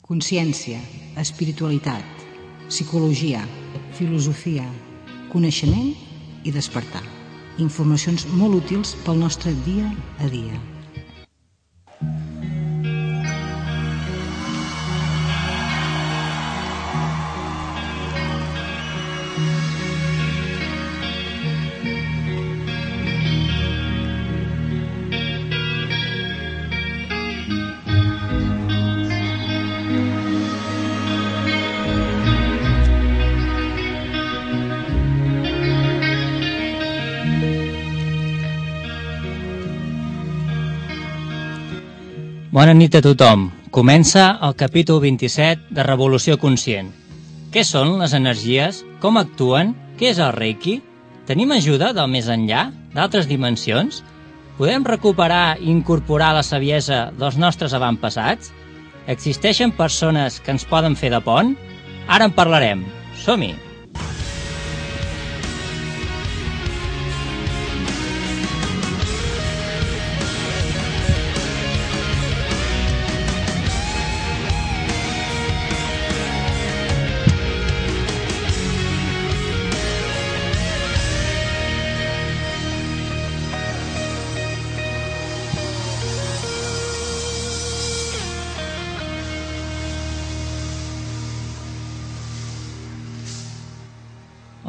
Consciència, espiritualitat, psicologia, filosofia, coneixement i despertar. Informacions molt útils pel nostre dia a dia. Bona nit a tothom. Comença el capítol 27 de Revolució Conscient. Què són les energies? Com actuen? Què és el Reiki? Tenim ajuda del més enllà? D'altres dimensions? Podem recuperar i incorporar la saviesa dels nostres avantpassats? Existeixen persones que ens poden fer de pont? Ara en parlarem. Som-hi!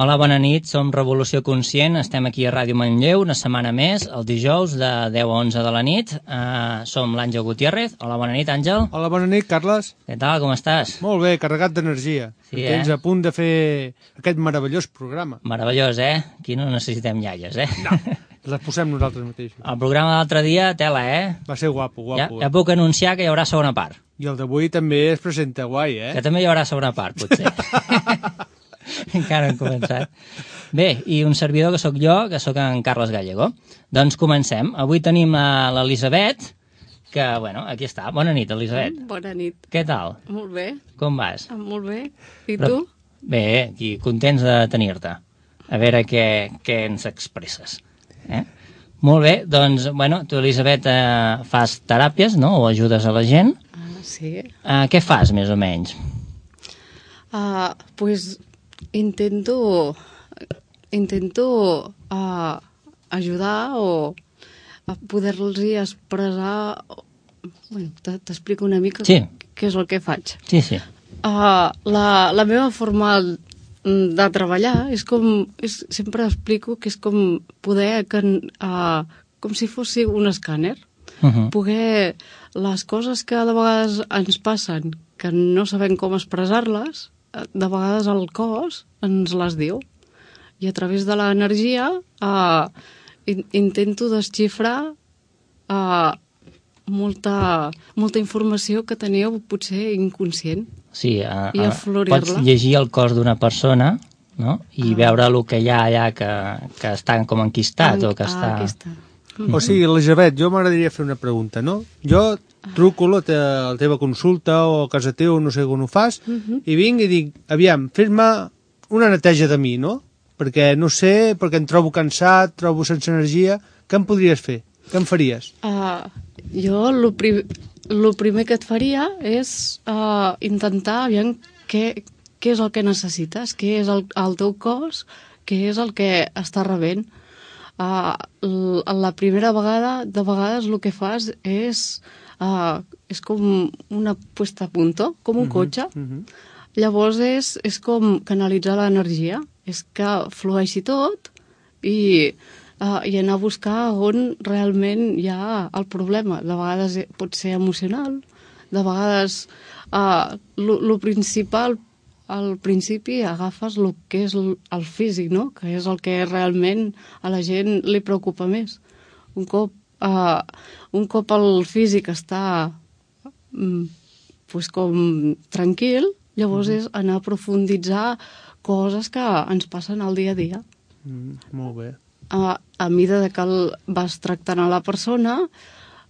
Hola, bona nit, som Revolució Conscient, estem aquí a Ràdio Manlleu una setmana més, el dijous de 10 a 11 de la nit. Som l'Àngel Gutiérrez. Hola, bona nit, Àngel. Hola, bona nit, Carles. Què tal, com estàs? Molt bé, carregat d'energia. Sí, Tens a punt de fer aquest meravellós programa. Meravellós, Aquí no necessitem iaies, No, les posem nosaltres mateixos. El programa de l'altre dia, tela, Va ser guapo, guapo. Ja puc anunciar que hi haurà segona part. I el d'avui també es presenta guai, Que també hi haurà segona part, potser. Encara no hem començat. Bé, i un servidor que sóc jo, que sóc en Carles Gallego. Doncs comencem. Avui tenim l'Elisabet, que, bueno, aquí està. Bona nit, Elisabet. Bona nit. Què tal? Molt bé. Com vas? Molt bé. I tu? Bé, aquí, contents de tenir-te. A veure què ens expresses. Molt bé, doncs, bueno, tu, Elisabet, fas teràpies, no?, o ajudes a la gent. Sí. Què fas, més o menys? Pues intento ajudar o a poder-los expressar. Bueno, t'explico una mica què és el que faig. Sí, sí. La meva forma de treballar és com... sempre explico que és com poder... com si fos un escàner. Poder... Les coses que de vegades ens passen, que no sabem com expressar-les, de vegades el cos ens les diu. I a través de l'energia intento desxifrar molta informació que teniu potser inconscient. Sí, i aflorir-la. Pots llegir el cos d'una persona, no?, i veure el que hi ha allà que està com enquistat o que està... O sigui, Elisabet, jo m'agradaria fer una pregunta, no? Jo truco a la teva consulta o a casa teu, no sé on ho fas, i vinc i dic, aviam, fes-me una neteja de mi, no? Perquè no sé, perquè em trobo cansat, trobo sense energia. Què em podries fer? Què em faries? Jo el primer que et faria és intentar aviam què és el que necessites, què és el teu cos, què és el que està rebent. La primera vegada, de vegades el que fas és com una puesta a punto, com un cotxe. Llavors és com canalitzar l'energia, és que flueixi tot i anar a buscar on realment hi ha el problema. De vegades pot ser emocional, de vegades el principal. Al principi agafes el que és el físic, no?, que és el que realment a la gent li preocupa més. Un cop el físic està com tranquil, llavors és anar a profunditzar coses que ens passen al dia a dia. Molt bé. A mida que vas tractant a la persona,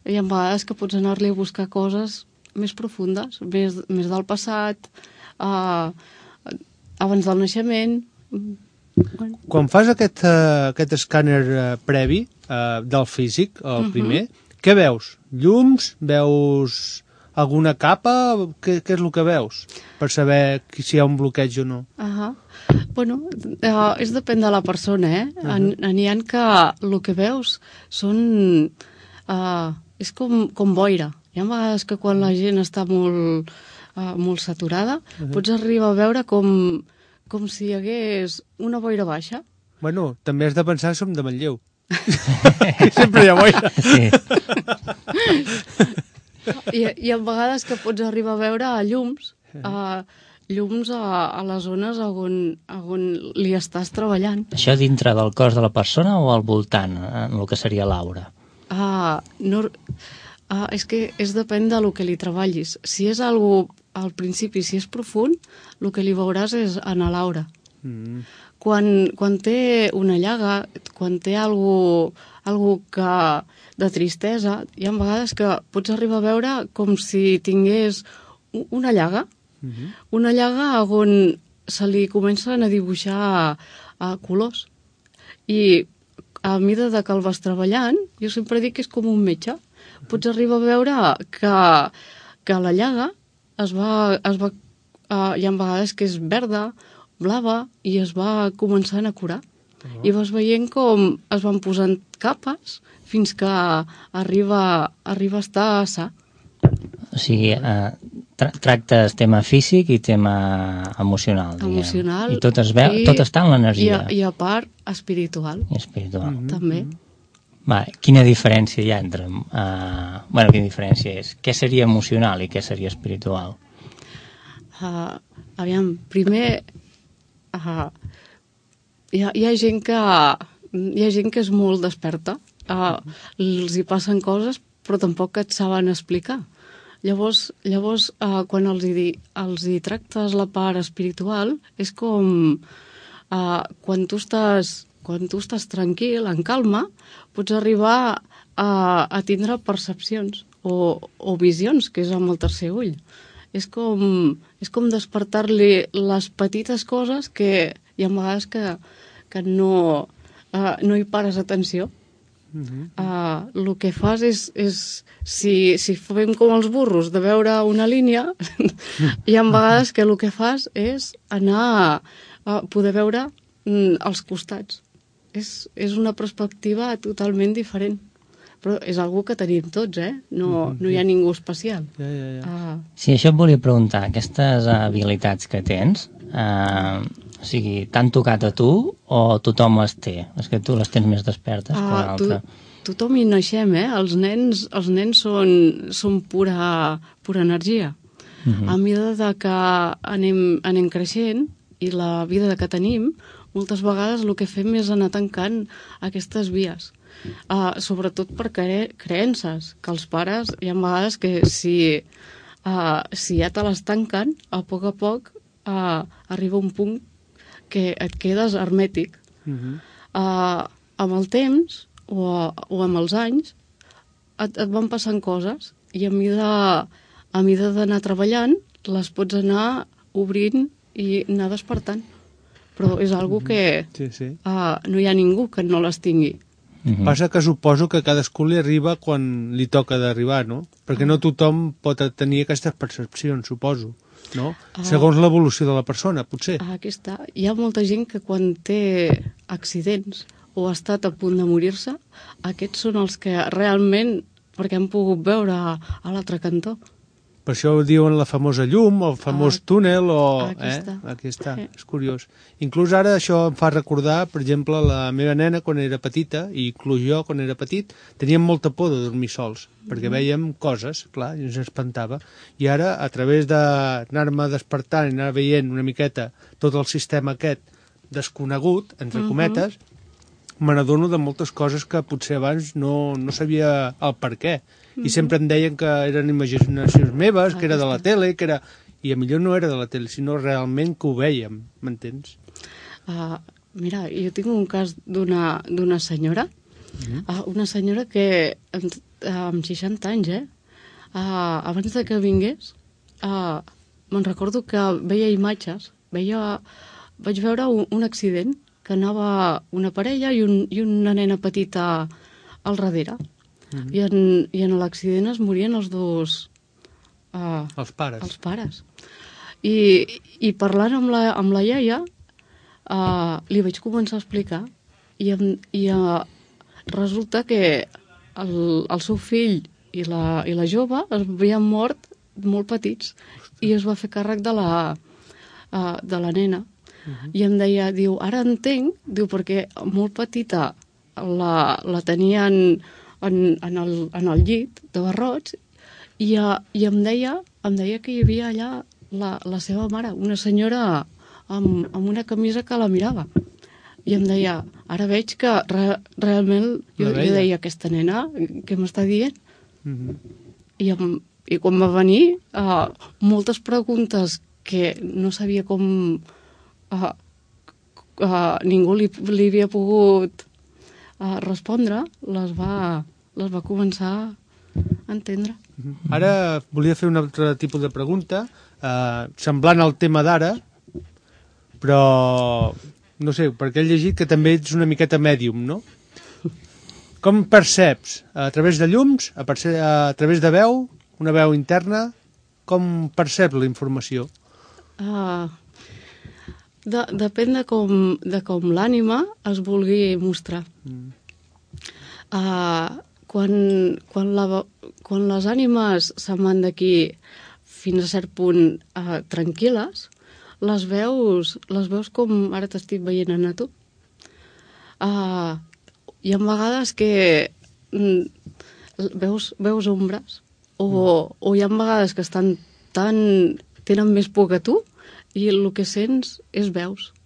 hi ha vegades que pots anar-li a buscar coses més profundes, més del passat, abans del naixement. Quan fas aquest escàner previ del físic, el primer, què veus? Llums? Veus alguna capa? Què és el que veus? Per saber si hi ha un bloqueig o no. Bueno, és depèn de la persona, N'hi ha que el que veus són... és com boira. Hi ha vegades que quan la gent està molt saturada, pots arribar a veure com si hi hagués una boira baixa. Bueno, també has de pensar que som de Manlleu. Sempre hi ha boira. Sí. Hi ha vegades que pots arribar a veure llums, llums a les zones on li estàs treballant. Això dintre del cos de la persona o al voltant, en el que seria l'aura? És que depèn del que li treballis. Si és algo al principi, si és profund, el que li veuràs és en l'aura. Quan té una llaga, quan té algo de tristesa, hi ha vegades que pots arribar a veure com si tingués una llaga, una llaga on se li comencen a dibuixar colors. I a mesura que el vas treballant, jo sempre dic que és com un metge. Pots arribar a veure que la llaga hi ha vegades que és verda, blava, i es va començant a curar. I vas veient com es van posant capes fins que arriba a estar sa. O sigui, tractes tema físic i tema emocional, diguem. Emocional. I tot es veu, tot està en l'energia. I a part, espiritual. I espiritual. També. Vale, quina diferència hi ha entre... quina diferència és? Què seria emocional i què seria espiritual? Aviam, primer... hi ha gent que és molt desperta. Els hi passen coses, però tampoc et saben explicar. Llavors quan els hi tractes la part espiritual, és com quan tu estàs tranquil, en calma, pots arribar a tindre percepcions o visions, que és amb el tercer ull. És com despertar-li les petites coses que hi ha vegades que no hi pares atenció. El que fas és si fem com els burros de veure una línia, hi ha vegades que el que fas és anar a poder veure els costats. És una perspectiva totalment diferent, però és algo que tenim tots, no hi ha ningú especial. Sí, això et volia preguntar, aquestes habilitats que tens, o sigui, t'han tocat a tu o tothom les té? És que tu les tens més despertes que l'altre. Tothom hi naixem, Els nens són pura energia. A mesura que anem creixent i la vida que tenim, moltes vegades el que fem és anar tancant aquestes vies. Sobretot per creences, que els pares hi ha vegades que si ja te les tanquen, a poc arriba un punt que et quedes hermètic. Amb el temps o amb els anys et van passant coses i a mesura d'anar treballant les pots anar obrint i anar despertant. Però és algo que no hi ha ningú que no les tingui. Passa que suposo que cadascú li arriba quan li toca d'arribar, no? Perquè no tothom pot tenir aquestes percepcions, suposo, no? Segons l'evolució de la persona, potser. Aquí està. Hi ha molta gent que quan té accidents o ha estat a punt de morir-se, aquests són els que realment, perquè han pogut veure a l'altre cantó. Per això ho diuen la famosa llum, el famós túnel, Aquí està. És curiós. Inclús ara això em fa recordar, per exemple, la meva nena quan era petita, i inclús jo quan era petit, teníem molta por de dormir sols, perquè vèiem coses, clar, i ens espantava. I ara, a través d'anar-me despertant i anar veient una miqueta tot el sistema aquest desconegut, entre cometes, me n'adono de moltes coses que potser abans no sabia el per què. I sempre em deien que eren imaginacions meves, que era de la tele, que era... I a millor no era de la tele, sinó realment que ho vèiem, m'entens? Mira, jo tinc un cas d'una senyora, una senyora que amb 60 anys, abans de que vingués, me'n recordo que veia imatges, vaig veure un accident, que anava una parella i una nena petita al darrere. I en l'accident es morien els dos Els pares. Els pares. I parlant amb la iaia, li vaig començar a explicar i resulta que el seu fill i la jove es havien mort molt petits i es va fer càrrec de la nena. I em deia, diu, ara entenc, diu, perquè molt petita la tenien en el llit de barrots i em deia que hi havia allà la seva mare, una senyora amb una camisa que la mirava. I em deia, ara veig que realment jo deia, aquesta nena, què m'està dient? I quan va venir, moltes preguntes que no sabia com ningú li havia pogut respondre, les va començar a entendre. Ara volia fer un altre tipus de pregunta, semblant al tema d'ara, però no sé, perquè he llegit que també ets una miqueta mèdium, no? Com perceps? A través de llums? A través de veu? Una veu interna? Com perceps la informació? Depèn de com l'ànima es vulgui mostrar. Quan les ànimes se'n van d'aquí fins a cert punt tranquil·les, les veus com ara t'estic veient a tu. Hi ha vegades que veus ombres o hi ha vegades que tenen més por que tu i el que sents és veus.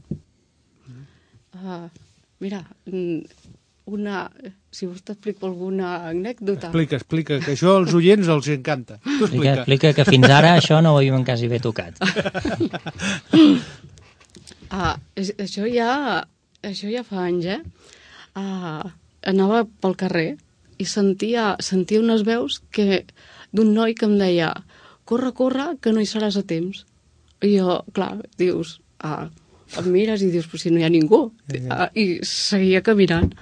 Mira, si vols t'explico alguna anècdota. Explica, que això als oients els encanta. Tu explica que fins ara això no ho havíem quasi bé tocat. Això ja fa anys, anava pel carrer i sentia unes veus d'un noi que em deia corre, que no hi seràs a temps. I jo, clar, dius, em mires i dius, però si no hi ha ningú. I seguia caminant.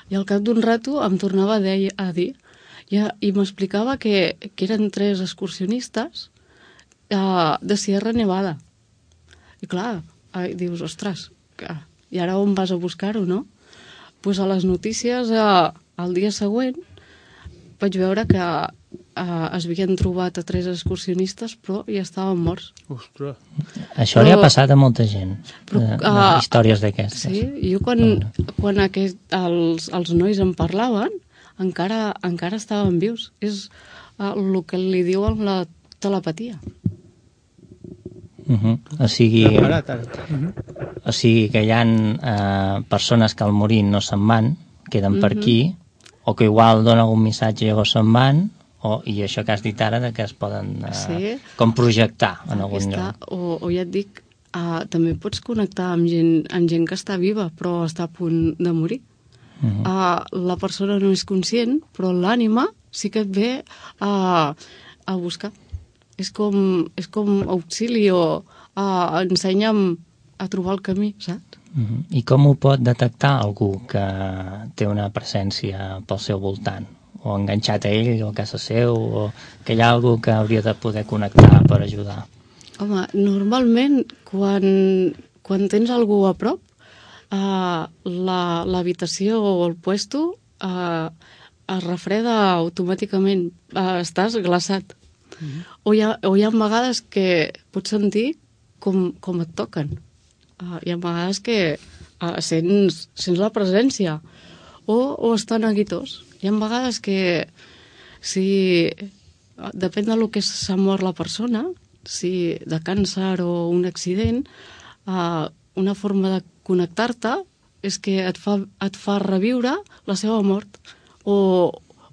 I al cap d'un rato em tornava a dir i m'explicava que eren 3 excursionistes de Sierra Nevada. I clar, dius, ostres, i ara on vas a buscar-ho, no? Doncs a les notícies, el dia següent, vaig veure que es havien trobat a 3 excursionistes, però ja estaven morts. Ostres. Això li ha passat a molta gent, històries d'aquestes. Sí, jo quan els nois en parlaven, encara estaven vius. És el que li diuen la telepatia. O sigui que hi ha persones que al morir no se'n van, queden per aquí, o que igual donen algun missatge i llavors se'n van, i això que has dit ara que es poden com projectar en algun lloc. O ja et dic, també pots connectar amb gent que està viva però està a punt de morir. La persona no és conscient, però l'ànima sí que et ve a buscar. És com auxili o ensenya'm a trobar el camí, saps? I com ho pot detectar algú que té una presència pel seu voltant? O enganxat a ell, o a casa seu, o que hi ha algú que hauria de poder connectar per ajudar? Home, normalment, quan tens algú a prop, l'habitació o el puesto es refreda automàticament, estàs glaçat. O hi ha vegades que pots sentir com et toquen. Hi ha vegades que sents la presència o estan neguitós. Hi ha vegades que depèn del que s'ha mort la persona, si de càncer o un accident, una forma de connectar-te és que et fa reviure la seva mort o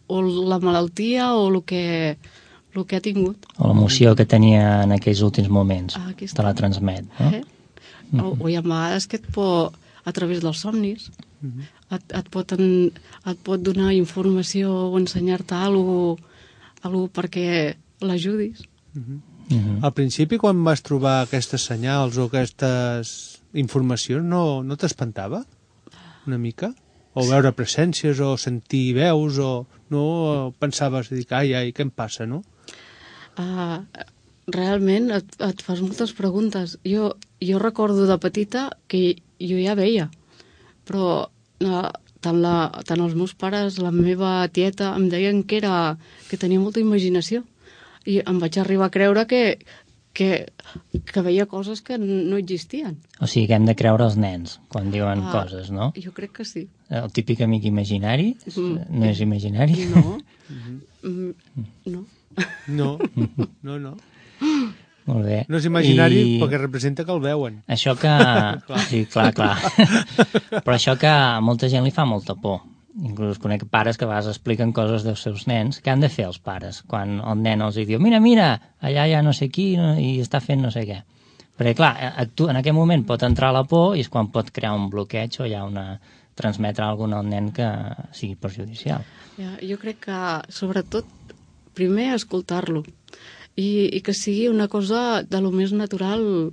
la malaltia o el que ha tingut. O l'emoció que tenia en aquells últims moments, te la transmet, no? O hi ha vegades que a través dels somnis et pot donar informació o ensenyar-te alguna cosa perquè l'ajudis. Al principi, quan vas trobar aquestes senyals o aquestes informacions, no t'espantava una mica? O veure presències o sentir veus o no pensaves, ai, què em passa, no? realment et fas moltes preguntes. Jo recordo de petita que jo ja veia, però tant els meus pares, la meva tieta, em deien que tenia molta imaginació. I em vaig arribar a creure que veia coses que no existien. O sigui que hem de creure els nens quan diuen coses, no? Jo crec que sí. El típic amic imaginari no és imaginari? No. No. No. Molt bé. No és imaginari perquè representa que el veuen. Això que... Sí, clar. Però això que a molta gent li fa molta por. Inclús conec pares que a vegades expliquen coses dels seus nens. Què han de fer els pares quan el nen els diu mira, allà hi ha no sé qui i està fent no sé què. Perquè, clar, en aquell moment pot entrar la por i és quan pot crear un bloqueig o hi ha transmetre alguna al nen que sigui perjudicial. Jo crec que, sobretot, primer escoltar-lo i que sigui una cosa de lo més natural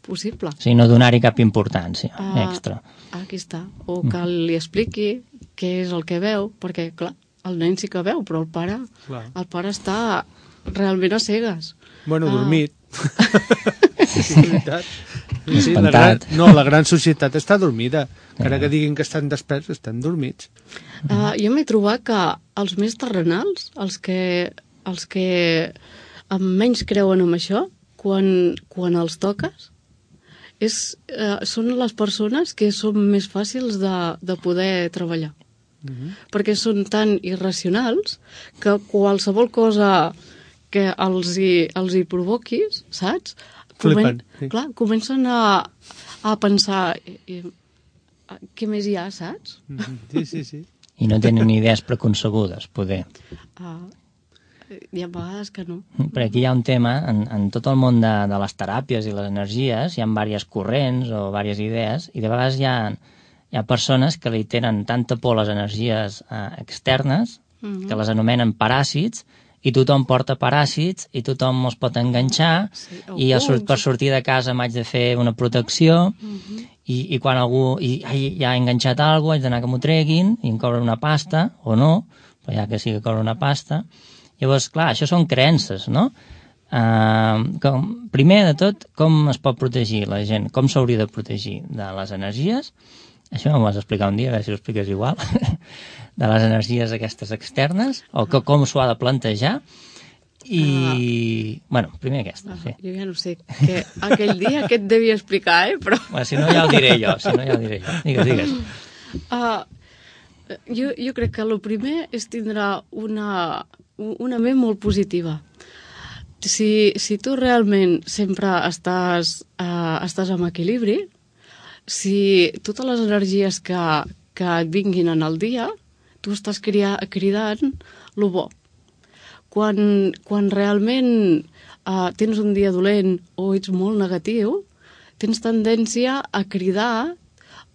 possible. O sigui, no donar-hi cap importància extra. Aquí està. O que li expliqui què és el que veu, perquè, clar, el nen sí que veu, però el pare està realment a cegues. Bueno, dormit. Sí, veritat. Sí, la gran societat està dormida. Encara que diguin que estan desperts, estan dormits. Jo m'he trobat que els més terrenals, els que menys creuen en això, quan els toques, són les persones que són més fàcils de poder treballar. Perquè són tan irracionals que qualsevol cosa que els hi provoquis, saps? Flipen. Clar, comencen a pensar què més hi ha, saps? Sí. I no tenen idees preconcebudes, poder. Hi ha vegades que no. Perquè aquí hi ha un tema, en tot el món de les teràpies i les energies, hi ha diverses corrents o diverses idees, i de vegades hi ha persones que li tenen tanta por a les energies externes que les anomenen paràsits, i tothom porta paràsits i tothom els pot enganxar i per sortir de casa m'haig de fer una protecció i quan algú ja ha enganxat alguna cosa haig d'anar que m'ho treguin i em cobren una pasta, o no, però ja que sí que cobren una pasta. Llavors, clar, això són creences, no? Primer de tot, com es pot protegir la gent? Com s'hauria de protegir de les energies? Això m'ho vas explicar un dia, a veure si ho expliques igual, de les energies aquestes externes, o com s'ho ha de plantejar, i... Bueno, primer aquesta, sí. Jo ja no sé, que aquell dia què et devia explicar, però... Bueno, si no ja ho diré jo, Digues. Jo crec que el primer és tindre una ment molt positiva. Si tu realment sempre estàs en equilibri, si totes les energies que et vinguin en el dia, tu estàs cridant lo bo. Quan realment tens un dia dolent o ets molt negatiu, tens tendència a cridar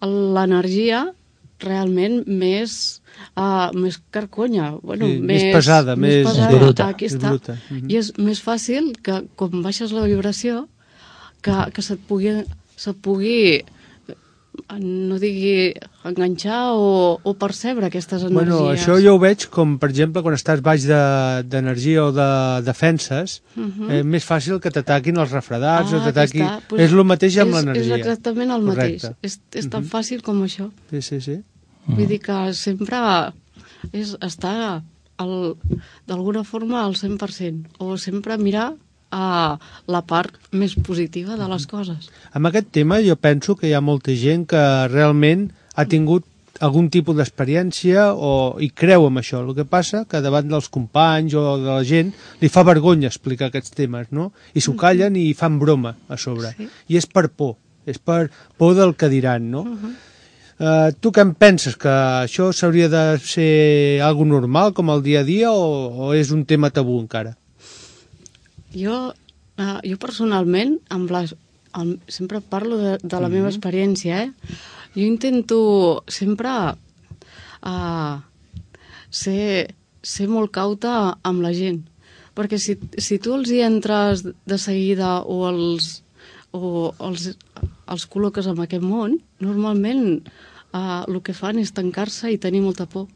l'energia realment més carconya. Bueno, més pesada, més bruta. Aquí està. I és més fàcil que, quan baixes la vibració, que se't pugui no digui enganxar o percebre aquestes energies. Bueno, això jo ho veig com, per exemple, quan estàs baix d'energia o de defenses, és més fàcil que t'ataquin els refredats o t'ataquin... És el mateix amb l'energia. És exactament el mateix. És tan fàcil com això. Sí. Vull dir que sempre està d'alguna forma al 100%, o sempre mirar a la part més positiva de les coses. Amb aquest tema jo penso que hi ha molta gent que realment ha tingut algun tipus d'experiència i creu en això. El que passa que davant dels companys o de la gent li fa vergonya explicar aquests temes, no? I s'ho callen i fan broma a sobre. Sí. I és per por, és per por del que diran, no? Tu què en penses? Que això s'hauria de ser algo normal, com el dia a dia, o és un tema tabú encara? Jo personalment, sempre parlo de la meva experiència, Jo intento sempre ser molt cauta amb la gent, perquè si tu els hi entres de seguida o els col·loques en aquest món, normalment el que fan és tancar-se i tenir molta por.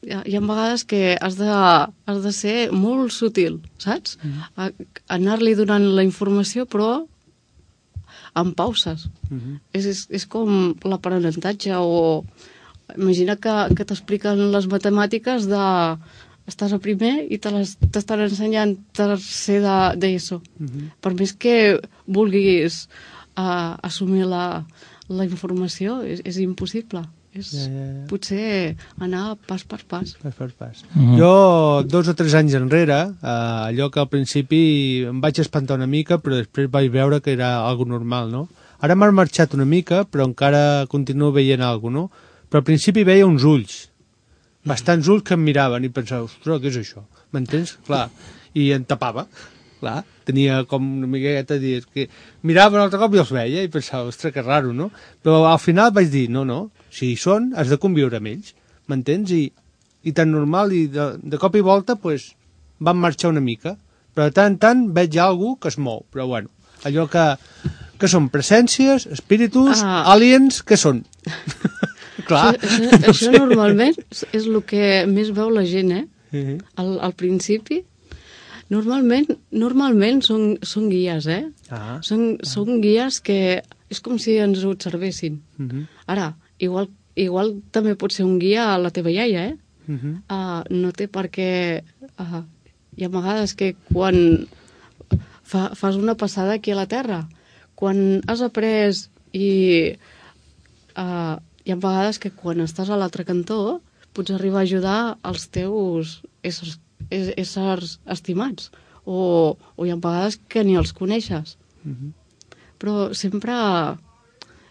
hi ha vegades que has de ser molt sutil, saps? Anar-li donant la informació, però amb pauses. És com l'aprenentatge, o imagina que t'expliquen les matemàtiques estàs a primer i t'estan ensenyant tercer d'ESO. Per més que vulguis assumir la informació, és impossible. Potser anar pas per pas. Pas per pas. Jo, 2 o 3 anys enrere, allò que al principi em vaig espantar una mica, però després vaig veure que era algo normal, no? Ara m'ha marxat una mica, però encara continuo veient alguna cosa, no? Però al principi veia uns ulls, bastants ulls que em miraven i pensava, ostres, què és això? M'entens? Clar. I em tapava. Clar, tenia com una miqueta de dir que mirava un altre cop i els veia i pensava, ostres, que raro, no? Però al final vaig dir, no, si hi són, has de conviure amb ells, m'entens? I tan normal, i de cop i volta, pues, van marxar una mica, però de tant en tant veig algú que es mou, però bueno, allò que són presències, espíritus, aliens, què són? Clar. Això normalment és el que més veu la gent, al principi. Normalment són guies, Són guies que és com si ens observessin. Ara, igual també pot ser un guia a la teva iaia, no té per què... Hi ha vegades que quan fas una passada aquí a la Terra, quan has après i... hi ha vegades que quan estàs a l'altre cantó pots arribar a ajudar els teus éssers estimats, o hi ha vegades que ni els coneixes. Però sempre,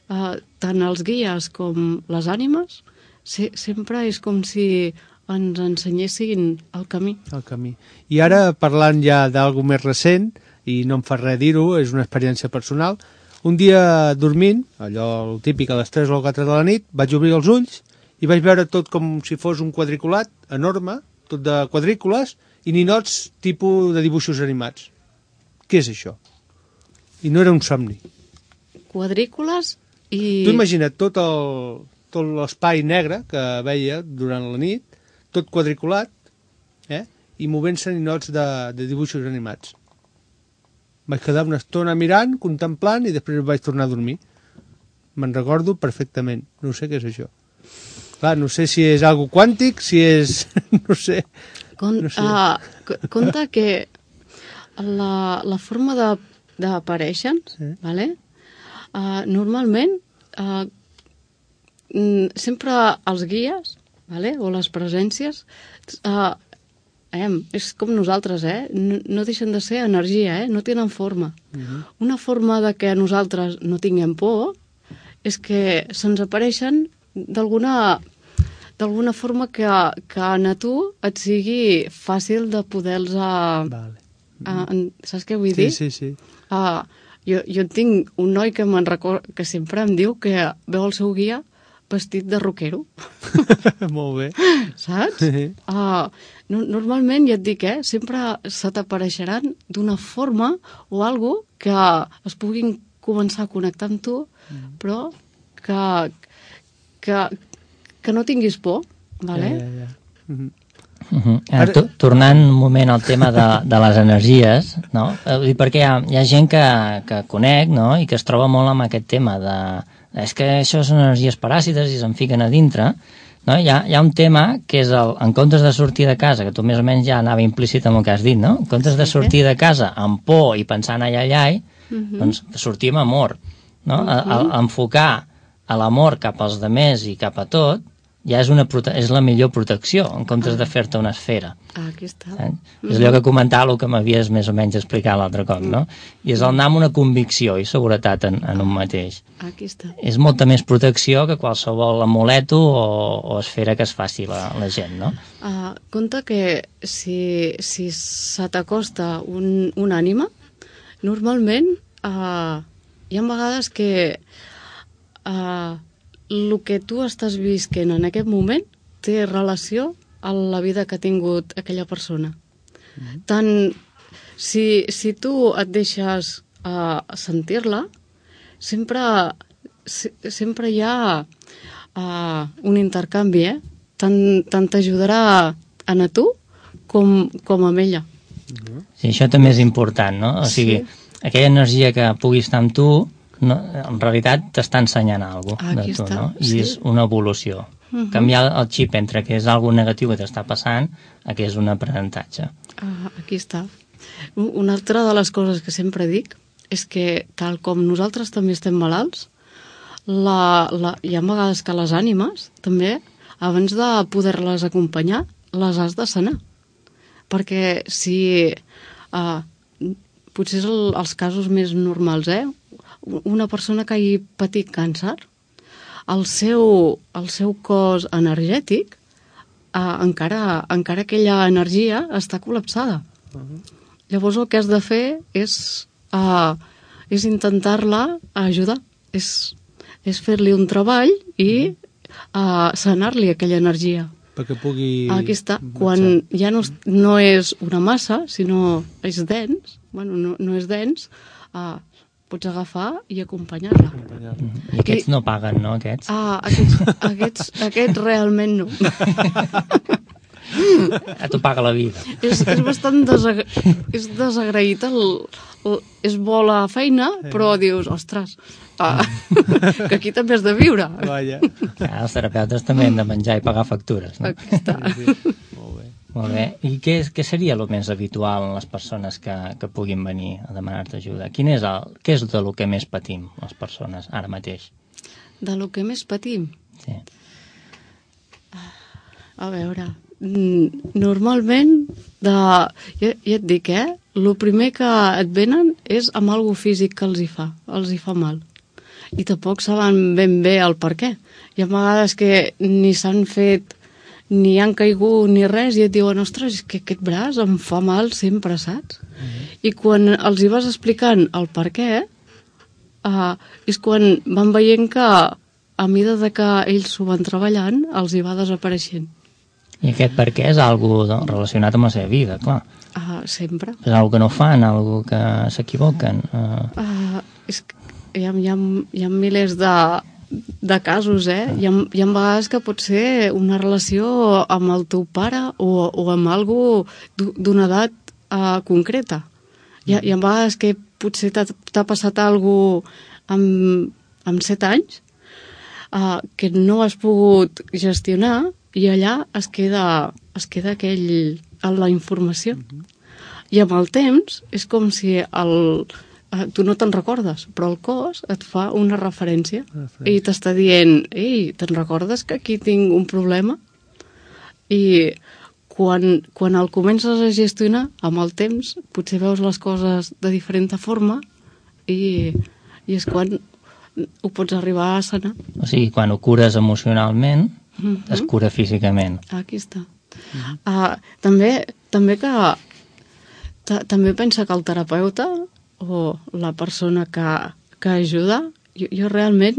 tant els guies com les ànimes, sempre és com si ens ensenyessin el camí. El camí. I ara, parlant ja d'algú més recent, i no em fa res dir-ho, és una experiència personal, un dia dormint, allò típic a les 3 o 4 de la nit, vaig obrir els ulls i vaig veure tot com si fos un quadriculat enorme, tot de quadrícules, i ninots tipus de dibuixos animats. Què és això? I no era un somni. Quadrícules i... Tu imagina't tot l'espai negre que veia durant la nit, tot quadriculat, i movent-se ninots de dibuixos animats. Vaig quedar una estona mirant, contemplant, i després vaig tornar a dormir. Me'n recordo perfectament. No sé què és això. Clar, no sé si és algo quàntic, si és... no sé. Compte que la forma d'aparèixer, normalment, sempre els guies, o les presències, és com nosaltres, no deixen de ser energia, no tenen forma. Una forma de que nosaltres no tinguem por és que se'ns apareixen d'alguna forma que a tu et sigui fàcil de poder-los... Saps què vull dir? Sí. Jo tinc un noi que sempre em diu que veu el seu guia vestit de rockero. Molt bé. Saps? Normalment, ja et dic, sempre se t'apareixeran d'una forma o algo que es puguin començar a connectar amb tu, però que no tinguis por, vale? Tornant un moment al tema de les energies, no? Perquè hi ha gent que conec, no? I que es troba molt amb aquest tema de... És que això són energies paràsites i se'n fiquen a dintre, no? Hi ha un tema que és en comptes de sortir de casa, que tu més o menys ja anava implícit amb el que has dit, no? En comptes de sortir de casa amb por i pensant ai, doncs sortir amb amor, no? Enfocar a l'amor cap als demés i cap a tot ja és la millor protecció, en comptes de fer-te una esfera. Aquí està. És allò que comentava el que m'havies més o menys explicat l'altre cop, no? I és anar amb una convicció i seguretat en un mateix. Aquí està. És molta més protecció que qualsevol amuleto o esfera que es faci la gent, no? Compte que si se t'acosta un ànima, normalment hi ha vegades que el que tu estàs visquent en aquest moment té relació a la vida que ha tingut aquella persona. Tant si tu et deixes sentir-la, sempre hi ha un intercanvi, tant t'ajudarà a tu com a ella. Sí, això també és important, no? O sigui, aquella energia que pugui estar amb tu, no, en realitat t'està ensenyant alguna cosa de tu, no? I és una evolució. Canviar el xip entre que és algo negatiu que t'està passant a que és un aprenentatge. Aquí està. Una altra de les coses que sempre dic és que, tal com nosaltres també estem malalts, hi ha vegades que les ànimes, també, abans de poder-les acompanyar, les has de sanar. Perquè si... potser els casos més normals, una persona que hagi patit càncer, el seu cos energètic, encara aquella energia està col·lapsada. Llavors el que has de fer és intentar-la ajudar, és fer-li un treball i sanar-li aquella energia. Perquè pugui... Aquí està. Quan ja no és una massa, sinó és dens, no és dens, pots agafar i acompanyar-la. I aquests no paguen, no, aquests? Aquests realment no. A tu paga la vida. És bastant desagraït. És bo la feina, però dius, ostres, que aquí també has de viure. Vaja. Els terapeutes també han de menjar i pagar factures, no? Aquí està. Molt bé. I què seria el més habitual en les persones que puguin venir a demanar-te ajuda? Què és de lo que més patim les persones ara mateix? De lo que més patim? Sí. A veure, normalment, ja et dic, el primer que et venen és amb algo físic que els hi fa mal. I tampoc saben ben bé el per què. Hi ha vegades que ni s'han fet, ni han caigut ni res, i et diuen, ostres, és que aquest braç em fa mal sempre, saps? I quan els hi vas explicant el per què, és quan van veient que a mesura que ells s'ho van treballant, els hi va desapareixent. I aquest per què és algo relacionat amb la seva vida, clar. Sempre. És algo que no fan, algo que s'equivoquen. Hi ha milers de casos, Hi ha vegades que pot ser una relació amb el teu pare o amb algo d'una edat concreta. Hi ha vegades que potser t'ha passat algo amb 7 anys que no has pogut gestionar i allà es queda la informació. I amb el temps és com si tu no te'n recordes, però el cos et fa una referència i t'està dient, ei, te'n recordes que aquí tinc un problema? I quan el comences a gestionar, amb el temps, potser veus les coses de diferent forma i és quan ho pots arribar a sanar. O sigui, quan ho cures emocionalment, es cura físicament. Aquí està. També pensa que el terapeuta o la persona que ajuda, jo realment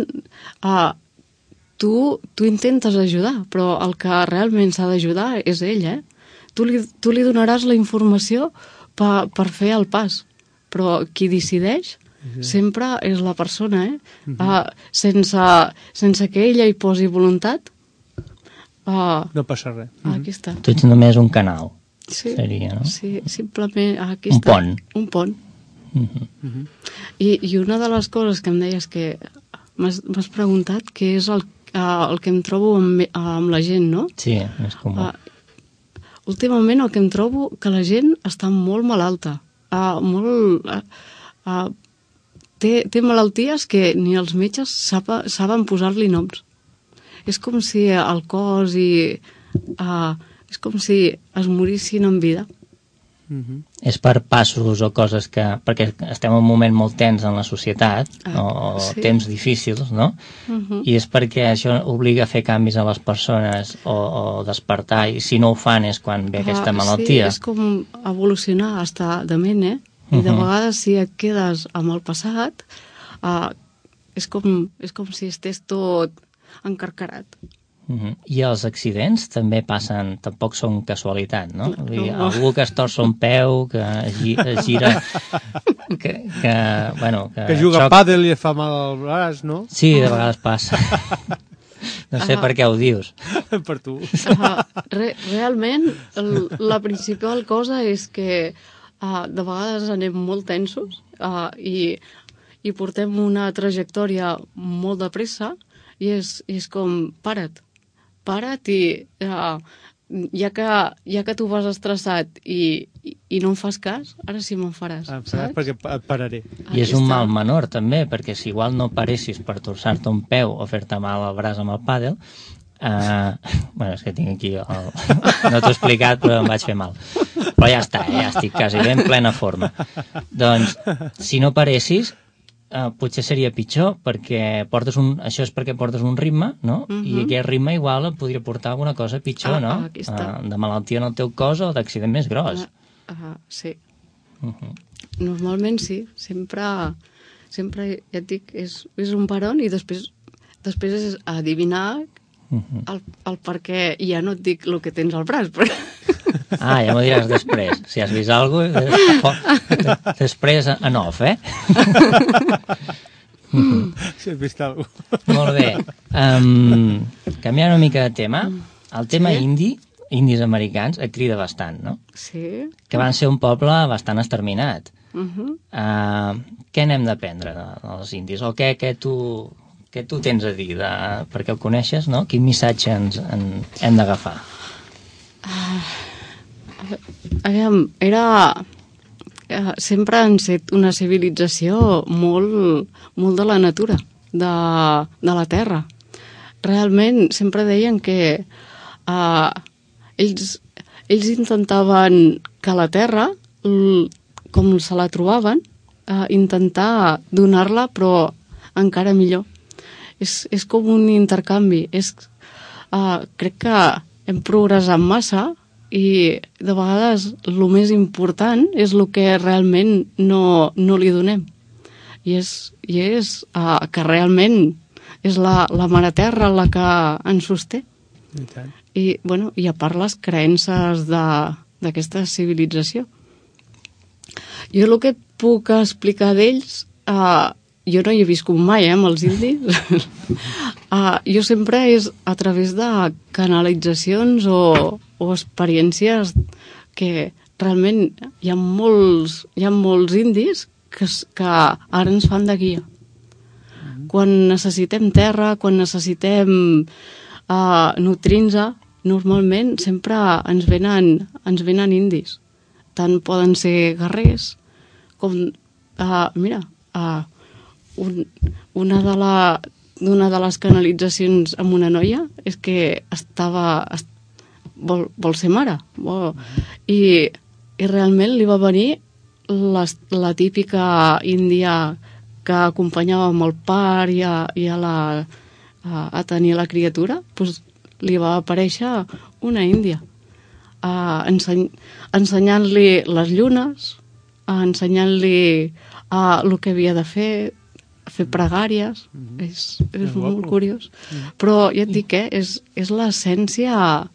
tu intentes ajudar, però el que realment s'ha d'ajudar és ell, Tu li donaràs la informació per fer el pas, però qui decideix sempre és la persona, sense que ella hi posi voluntat, no passa res. Aquí està. Tu ets només un canal, seria, no? Sí, simplement aquí un està. Pont. Un pont. I una de les coses que em deies que m'has preguntat què és el que em trobo amb la gent, no? Sí, és comú. Últimament el que em trobo que la gent està molt malalta. Té malalties que ni els metges saben posar-li noms. És com si el cos és com si es morissin en vida. És per passos o coses que... Perquè estem en un moment molt tens en la societat, o temps difícils, no? I és perquè això obliga a fer canvis a les persones o despertar, i si no ho fan és quan ve aquesta malaltia. Sí, és com evolucionar, estar dement, I de vegades si et quedes amb el passat, és com si estigués tot encarcarat. I els accidents també passen, tampoc són casualitat, no? Algú que es torça un peu, que es gira, que juga a pàdel i et fa mal al braç, no? Sí, de vegades passa. No sé per què ho dius. Per tu. Realment, la principal cosa és que de vegades anem molt tensos i portem una trajectòria molt de pressa i és com, para't i ja que tu vas estressat i no em fas cas, ara sí me'n faràs, saps? Perquè et pararé. I és un mal menor, també, perquè si igual no paressis per torçar-te un peu o fer-te mal al braç amb el pàdel, bueno, és que tinc aquí no t'ho he explicat, però em vaig fer mal. Però ja està, ja estic quasi bé en plena forma. Doncs, si no paressis, potser seria pitjor, perquè això és perquè portes un ritme, no? I aquest ritme igual et podria portar alguna cosa pitjor, no? De malaltia en el teu cos o d'accident més gros. Sí. Normalment sí, sempre ja et dic, és un peron i després és adivinar el per què, i ja no et dic el que tens al braç, però... Ja m'ho diràs després. Si has vist alguna cosa, després en off, Si has vist alguna cosa. Molt bé. Canviant una mica de tema, el tema indis americans et crida bastant, no? Sí. Que van ser un poble bastant exterminat. Què n'hem d'aprendre dels indis? O què tu tens a dir? Perquè el coneixes, no? Quin missatge hem d'agafar? Aviam, sempre han set una civilització molt de la natura, de la terra. Realment, sempre deien que ells intentaven que la terra, com se la trobaven, intentar donar-la, però encara millor. És com un intercanvi. Crec que hem progressat massa i de vegades el més important és el que realment no li donem. I és que realment és la mare terra la que ens sosté. I a part les creences d'aquesta civilització. Jo el que et puc explicar d'ells, jo no hi he viscut mai, amb els indis. Jo sempre és a través de canalitzacions o experiències que realment hi ha molts indis que ara ens fan de guia. Quan necessitem terra, quan necessitem nutrir-nos, normalment sempre ens venen indis. Tant poden ser guerrers com... una de les canalitzacions amb una noia és que vol ser mare. I realment li va venir la típica índia que acompanyava amb el part i a tenir la criatura, doncs li va aparèixer una índia ensenyant-li les llunes, ensenyant-li el que havia de fer pregàries. És molt curiós. Però ja et dic, és l'essència,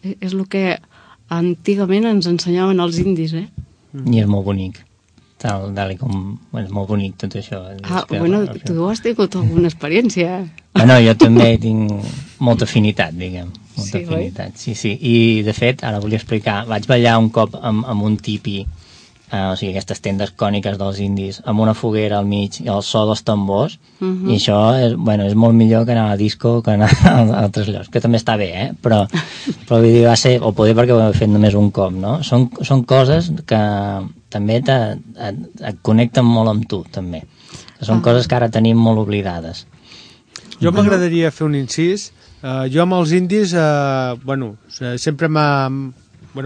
és el que antigament ens ensenyaven els indis, I és molt bonic. És molt bonic tot això. Tu has tingut alguna experiència. Jo també tinc molta afinitat, diguem. Molta afinitat, sí. I, de fet, ara volia explicar, vaig ballar un cop amb un tipi, o sigui, aquestes tendes còniques dels indis, amb una foguera al mig i el so dels tambors, i això és molt millor que anar a la disco que anar a altres llocs, que també està bé, però vull dir, va ser, o poder perquè ho he fet només un cop, no? Són coses que també et connecten molt amb tu, també. Són coses que ara tenim molt oblidades. Jo m'agradaria fer un incís. Jo amb els indis, sempre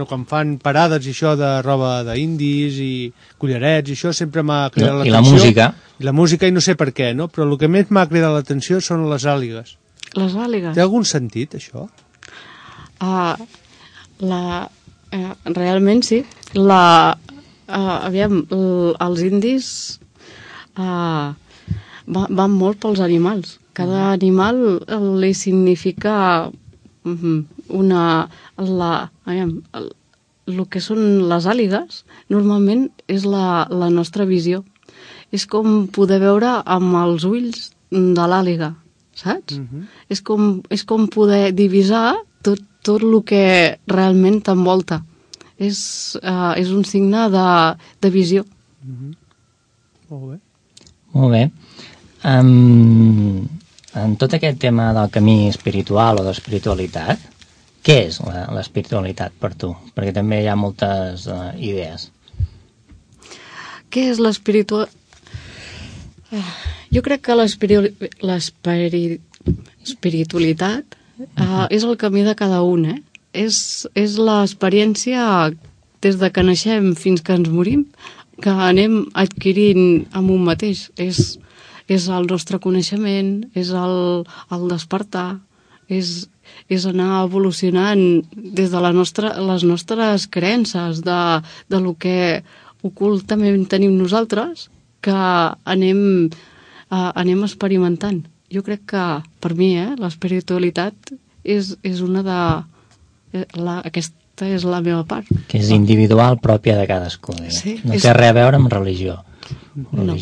quan fan parades i això de roba d'indis i collarets i això sempre m'ha cridat l'atenció. I la música. I la música, i no sé per què, no? Però el que més m'ha cridat l'atenció són les àligues. Les àligues? Té algun sentit, això? Realment sí. Aviam, els indis van molt pels animals. Cada animal li significa el que són les àligues normalment és la nostra visió. És com poder veure amb els ulls de l'àliga. saps? És com poder divisar tot el que realment t'envolta. És un signe de visió. Molt bé. Molt bé. En tot aquest tema del camí espiritual o d'espiritualitat, què és l'espiritualitat per tu? Perquè també hi ha moltes idees. Què és l'espiritualitat? Jo crec que l'espiritualitat és el camí de cada un, És l'experiència des de que naixem fins que ens morim, que anem adquirint amb un mateix. És el nostre coneixement, és el despertar, és anar evolucionant des de les nostres creences, de lo que ocultament tenim nosaltres, que anem experimentant. Jo crec que, per mi, l'espiritualitat és una de... Aquesta és la meva part. Que és individual, pròpia de cadascú. Sí, no té res a veure amb religió. No,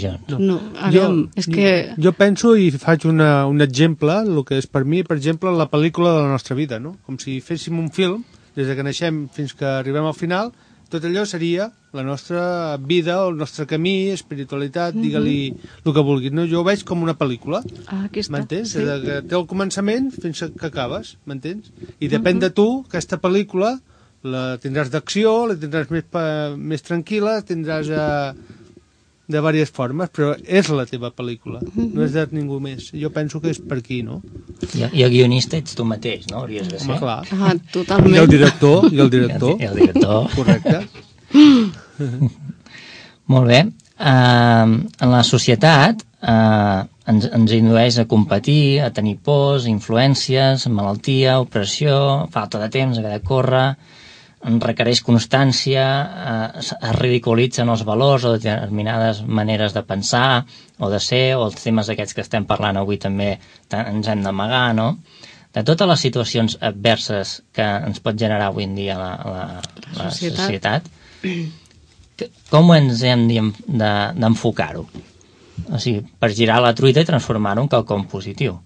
aviam, és que... Jo penso i faig un exemple, el que és per mi, per exemple, la pel·lícula de la nostra vida, no? Com si féssim un film, des que naixem fins que arribem al final, tot allò seria la nostra vida, el nostre camí, espiritualitat, digue-li el que vulguis. No? Jo ho veig com una pel·lícula, m'entens? Sí. Des que té el començament fins que acabes, m'entens? I depèn de tu, aquesta pel·lícula, la tindràs d'acció, la tindràs més tranquil·la, tindràs de diverses formes, però és la teva pel·lícula, no és de ningú més. Jo penso que és per aquí, no? I el guionista ets tu mateix, no? Hauries de ser. Home, clar. Totalment. I el director. I el director. Correcte. Molt bé. En la societat ens indueix a competir, a tenir pors, influències, malaltia, opressió, falta de temps, haver de córrer, ens requereix constància, es ridiculitzen els valors o determinades maneres de pensar o de ser, o els temes aquests que estem parlant avui també ens hem d'amagar, no? De totes les situacions adverses que ens pot generar avui en dia la societat, com ens hem d'enfocar-ho? O sigui, per girar la truita i transformar-ho en quelcom positiu.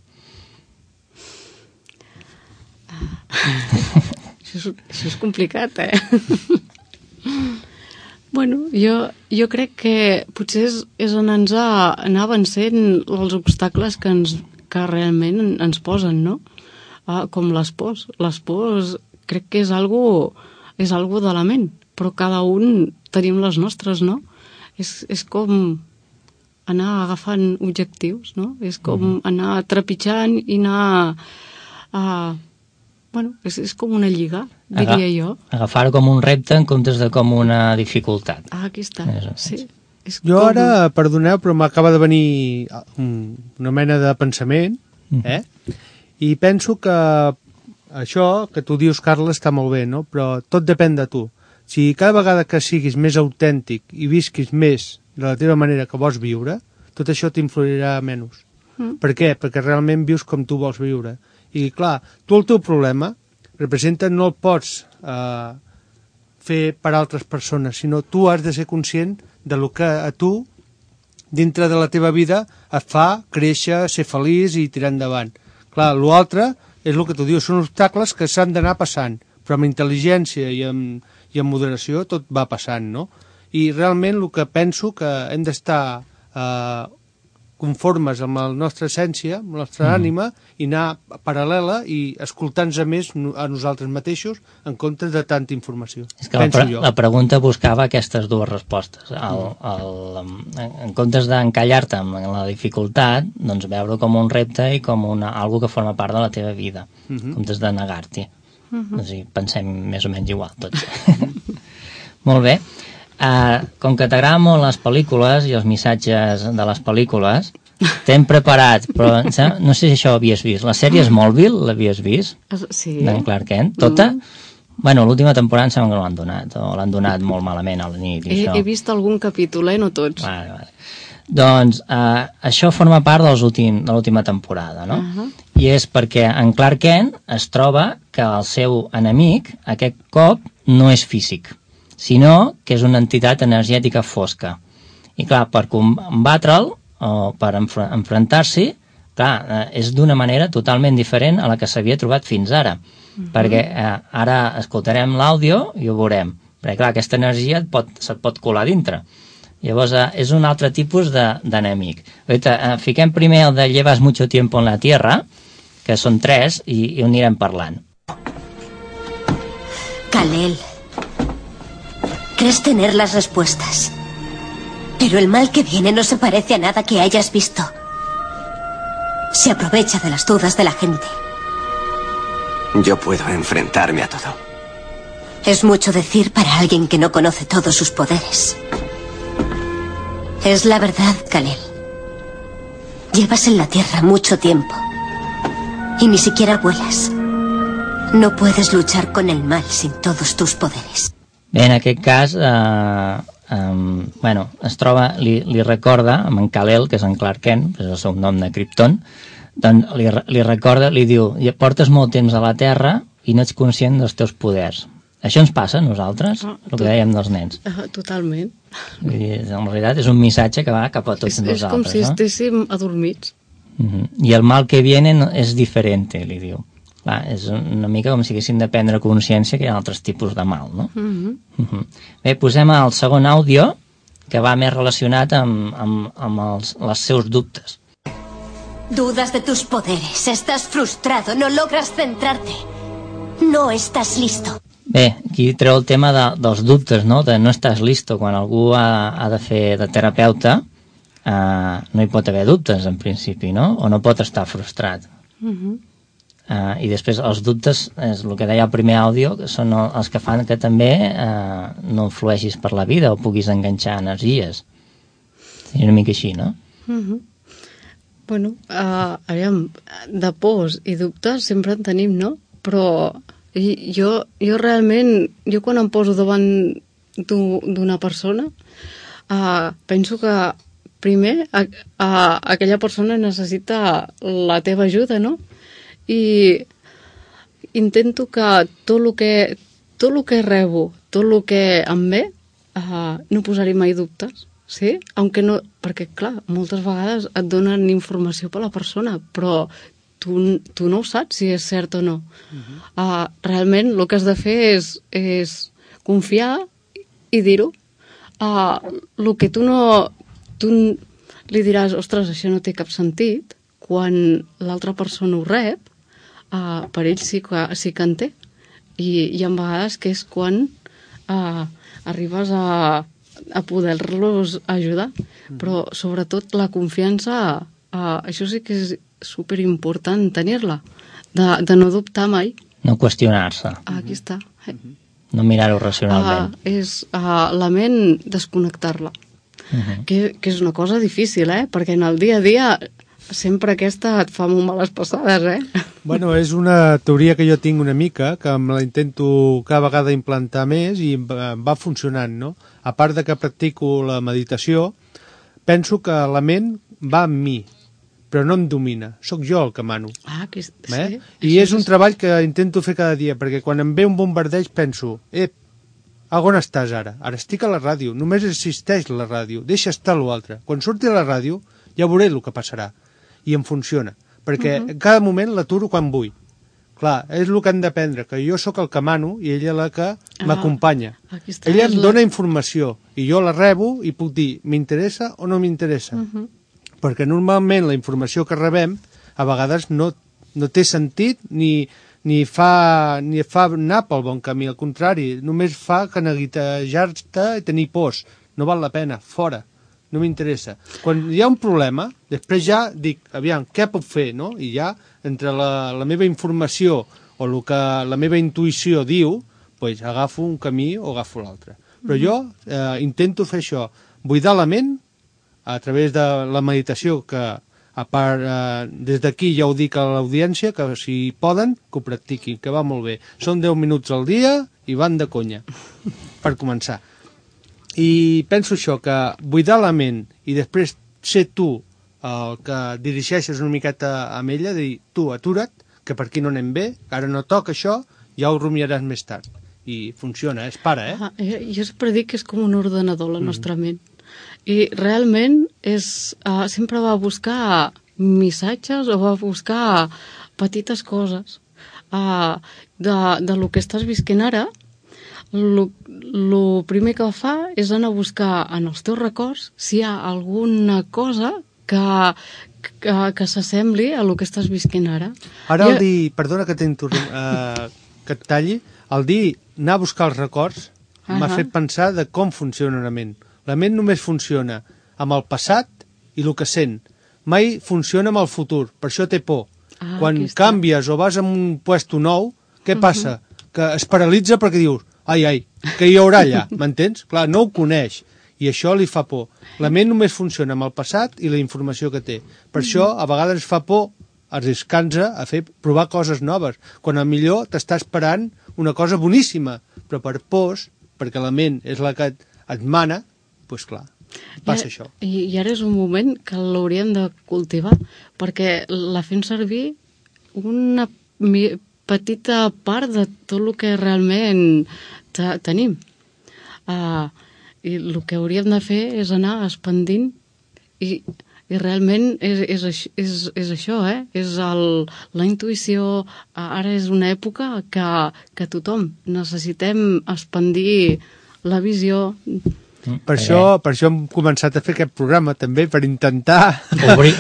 Això és complicat, Bueno, jo crec que potser és anar vencent els obstacles que realment ens posen, no? Com les pors. Les pors crec que és algo de la ment, però cada un tenim les nostres, no? És com anar agafant objectius, no? És com anar trepitjant i anar... Bueno, és com una lliga, diria jo. Agafar-ho com un repte en comptes de com una dificultat. Aquí està, sí. Jo ara, perdoneu, però m'acaba de venir una mena de pensament, i penso que això que tu dius, Carles, està molt bé, no? Però tot depèn de tu. Si cada vegada que siguis més autèntic i visquis més de la teva manera que vols viure, tot això t'influirà menys. Per què? Perquè realment vius com tu vols viure. I clar, tu el teu problema representa no el pots fer per altres persones, sinó tu has de ser conscient de lo que a tu, dintre de la teva vida, et fa créixer, ser feliç i tirar endavant. Clar, l'altre és el que tu dius, són obstacles que s'han d'anar passant, però amb intel·ligència i amb moderació tot va passant, no? I realment el que penso que hem d'estar conformes amb la nostra essència, amb la nostra ànima, i anar paral·lela i escoltar-nos més a nosaltres mateixos en comptes de tanta informació. És que la pregunta buscava aquestes dues respostes. En comptes d'encallar-te amb la dificultat, doncs veure com un repte i com algo que forma part de la teva vida, en comptes de negar-t'hi. O sigui, pensem més o menys igual tots. Molt bé. Com que t'agraden molt les pel·lícules i els missatges de les pel·lícules, t'hem preparat, però no sé si això ho havies vist. La sèrie Smallville, l'havies vist? Sí. D'en Clark Kent. Tota? Bueno, l'última temporada em sembla que no l'han donat, o l'han donat molt malament a la nit. He vist algun capítol, no tots. Vale. Doncs això forma part de l'última temporada, no? I és perquè en Clark Kent es troba que el seu enemic, aquest cop, no és físic, sinó que és una entitat energètica fosca. I clar, per combatre'l o per enfrontar-s'hi, clar, és d'una manera totalment diferent a la que s'havia trobat fins ara, perquè ara escoltarem l'àudio i ho veurem, perquè clar, aquesta energia se't pot colar dintre. Llavors és un altre tipus d'enemic. Fiquem primer el de llevas mucho tiempo en la tierra, que són 3, i ho anirem parlant. Kal-El, crees tener las respuestas, pero el mal que viene no se parece a nada que hayas visto. Se aprovecha de las dudas de la gente. Yo puedo enfrentarme a todo. Es mucho decir para alguien que no conoce todos sus poderes. Es la verdad, Kal-El. Llevas en la Tierra mucho tiempo y ni siquiera vuelas. No puedes luchar con el mal sin todos tus poderes. Bé, en aquest cas, es troba, li recorda, amb en Kal-El, que és en Clark Kent, és el seu nom de Krypton, doncs li recorda, li diu, portes molt temps a la Terra i no ets conscient dels teus poders. Això ens passa a nosaltres, el que dèiem dels nens. Totalment. En realitat és un missatge que va cap a tots nosaltres. És com si estéssim adormits. I el mal que viene és diferent, li diu. Clar, és una mica com si haguessin de prendre consciència que hi ha altres tipus de mal, no? Bé, posem el segon àudio, que va més relacionat amb els seus dubtes. Dudas de tus poderes, estás frustrado, no logras centrarte. No estás listo. Bé, aquí treu el tema dels dubtes, no? De no estàs listo. Quan algú ha de fer de terapeuta, no hi pot haver dubtes, en principi, no? O no pot estar frustrat. I després els dubtes, és el que deia el primer àudio, que són els que fan que també no influeixis per la vida o puguis enganxar energies. És una mica així, no? Bueno, aviam, de pors i dubtes sempre en tenim, no? Però jo realment, jo quan em poso davant d'una persona, penso que primer aquella persona necessita la teva ajuda, no? I intento que tot el que rebo, tot el que em ve, no posar-hi mai dubtes, sí? Perquè, clar, moltes vegades et donen informació per la persona, però tu no ho saps si és cert o no. Realment el que has de fer és confiar i dir-ho. El que tu li diràs, ostres, això no té cap sentit, quan l'altra persona ho rep, per ell sí que en té. I hi ha vegades que és quan arribes a poder-los ajudar. Però sobretot la confiança, això sí que és superimportant tenir-la, de no dubtar mai. No qüestionar-se. Aquí està. No mirar-ho racionalment. És la ment desconnectar-la. Que és una cosa difícil, perquè en el dia a dia sempre aquesta et fa molt males passades, Bueno, és una teoria que jo tinc una mica, que me la intento cada vegada implantar més i va funcionant, no? A part de que practico la meditació, penso que la ment va amb mi, però no em domina, sóc jo el que mano. Sí. I és un treball que intento fer cada dia, perquè quan em ve un bombardeig penso, on estàs ara? Ara estic a la ràdio, només existeix la ràdio, deixa estar l'altre. Quan surti a la ràdio ja veuré el que passarà. I em funciona, perquè en cada moment l'aturo quan vull. Clar, és el que han d'aprendre, que jo sóc el que mano i ella la que m'acompanya. Ella em dona informació i jo la rebo i puc dir, m'interessa o no m'interessa? Perquè normalment la informació que rebem a vegades no té sentit ni fa anar pel bon camí, al contrari, només fa que neguitejar-te i tenir pors. No val la pena, fora. No m'interessa. Quan hi ha un problema, després ja dic, aviam, què puc fer, no? I ja, entre la meva informació o el que la meva intuïció diu, doncs agafo un camí o agafo l'altre. Però jo intento fer això, buidar la ment a través de la meditació, que a part, des d'aquí ja ho dic a l'audiència, que si poden, que ho practiquin, que va molt bé. Són 10 minuts al dia i van de conya, per començar. I penso això, que buidar la ment i després ser tu el que dirigeixes una miqueta amb ella, dir, tu, atura't, que per aquí no anem bé, que ara no toca això, ja ho rumiaràs més tard. I funciona, és pare, Jo sempre dic que és com un ordenador, la nostra ment. I realment sempre va a buscar missatges o a buscar petites coses de lo que estàs visquent ara. El primer que fa és anar a buscar en els teus records si hi ha alguna cosa que s'assembli a lo que estàs visquent ara. Ara el dir, perdona que que et talli, el dir anar a buscar els records m'ha fet pensar de com funciona la ment. La ment només funciona amb el passat i el que sent. Mai funciona amb el futur, per això té por. Quan canvies o vas a un puesto nou, què passa? Que es paralitza perquè dius, ai, què hi haurà allà? M'entens? Clar, no ho coneix i això li fa por. La ment només funciona amb el passat i la informació que té. Per això a vegades fa por arriscar-nos a provar coses noves, quan millor t'està esperant una cosa boníssima, però per pors, perquè la ment és la que et mana, doncs clar, passa això. I ara és un moment que l'hauríem de cultivar, perquè la fem servir una petita part de tot el que realment tenim. I el que hauríem de fer és anar expandint i realment és això, és la intuïció. Ara és una època que tothom necessitem expandir la visió. Per això hem començat a fer aquest programa també, per intentar